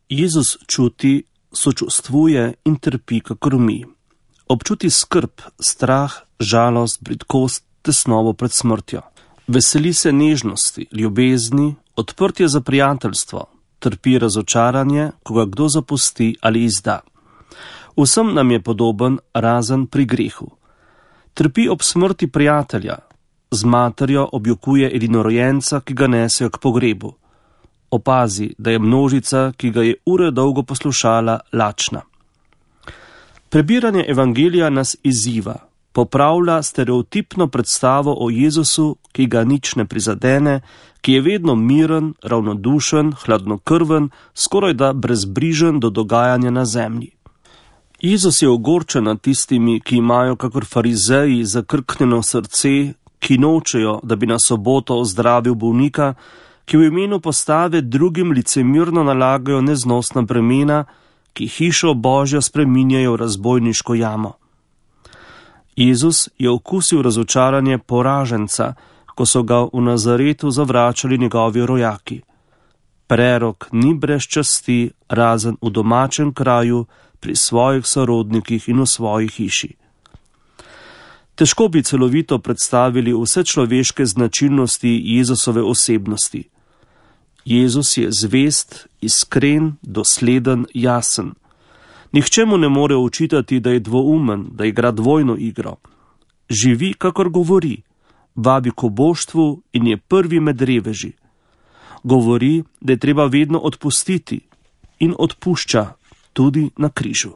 Jezus čuti, sočustvuje in trpi kakor mi. Občuti skrb, strah, žalost, bridkost, tesnobo pred smrtjo. Veseli se nežnosti, ljubezni, odprtje za prijateljstvo, trpi razočaranje, ko ga kdo zapusti ali izda. Vsem nam je podoben, razen pri grehu. Trpi ob smrti prijatelja, z materjo objokuje edinorojenca, ki ga nesejo k pogrebu. Opazi, da je množica, ki ga je ure dolgo poslušala, lačna. Prebiranje evangelija nas izziva, popravlja stereotipno predstavo o Jezusu, ki ga nič ne prizadene, ki je vedno miren, ravnodušen, hladnokrven, skorajda brezbrižen do dogajanja na zemlji. Jezus je ogorčen nad tistimi, ki imajo kakor farizeji zakrknjeno srce, ki nočejo, da bi na soboto ozdravil bolnika, ki v imenu postave drugim licemirno nalagajo neznosna bremena, ki hišo Božjo spreminjajo v razbojniško jamo. Jezus je okusil razočaranje poraženca, ko so ga v Nazaretu zavračali njegovi rojaki. Prerok ni brez časti, razen v domačem kraju, pri svojih sorodnikih in v svoji hiši. Težko bi celovito predstavili vse človeške značilnosti Jezusove osebnosti. Jezus je zvest, iskren, dosleden, jasen. Nihče mu ne more očitati, da je dvoumen, da igra dvojno igro. Živi, kakor govori, vabi k oboštvu in je prvi med reveži. Govori, da je treba vedno odpustiti in odpušča tudi na križu.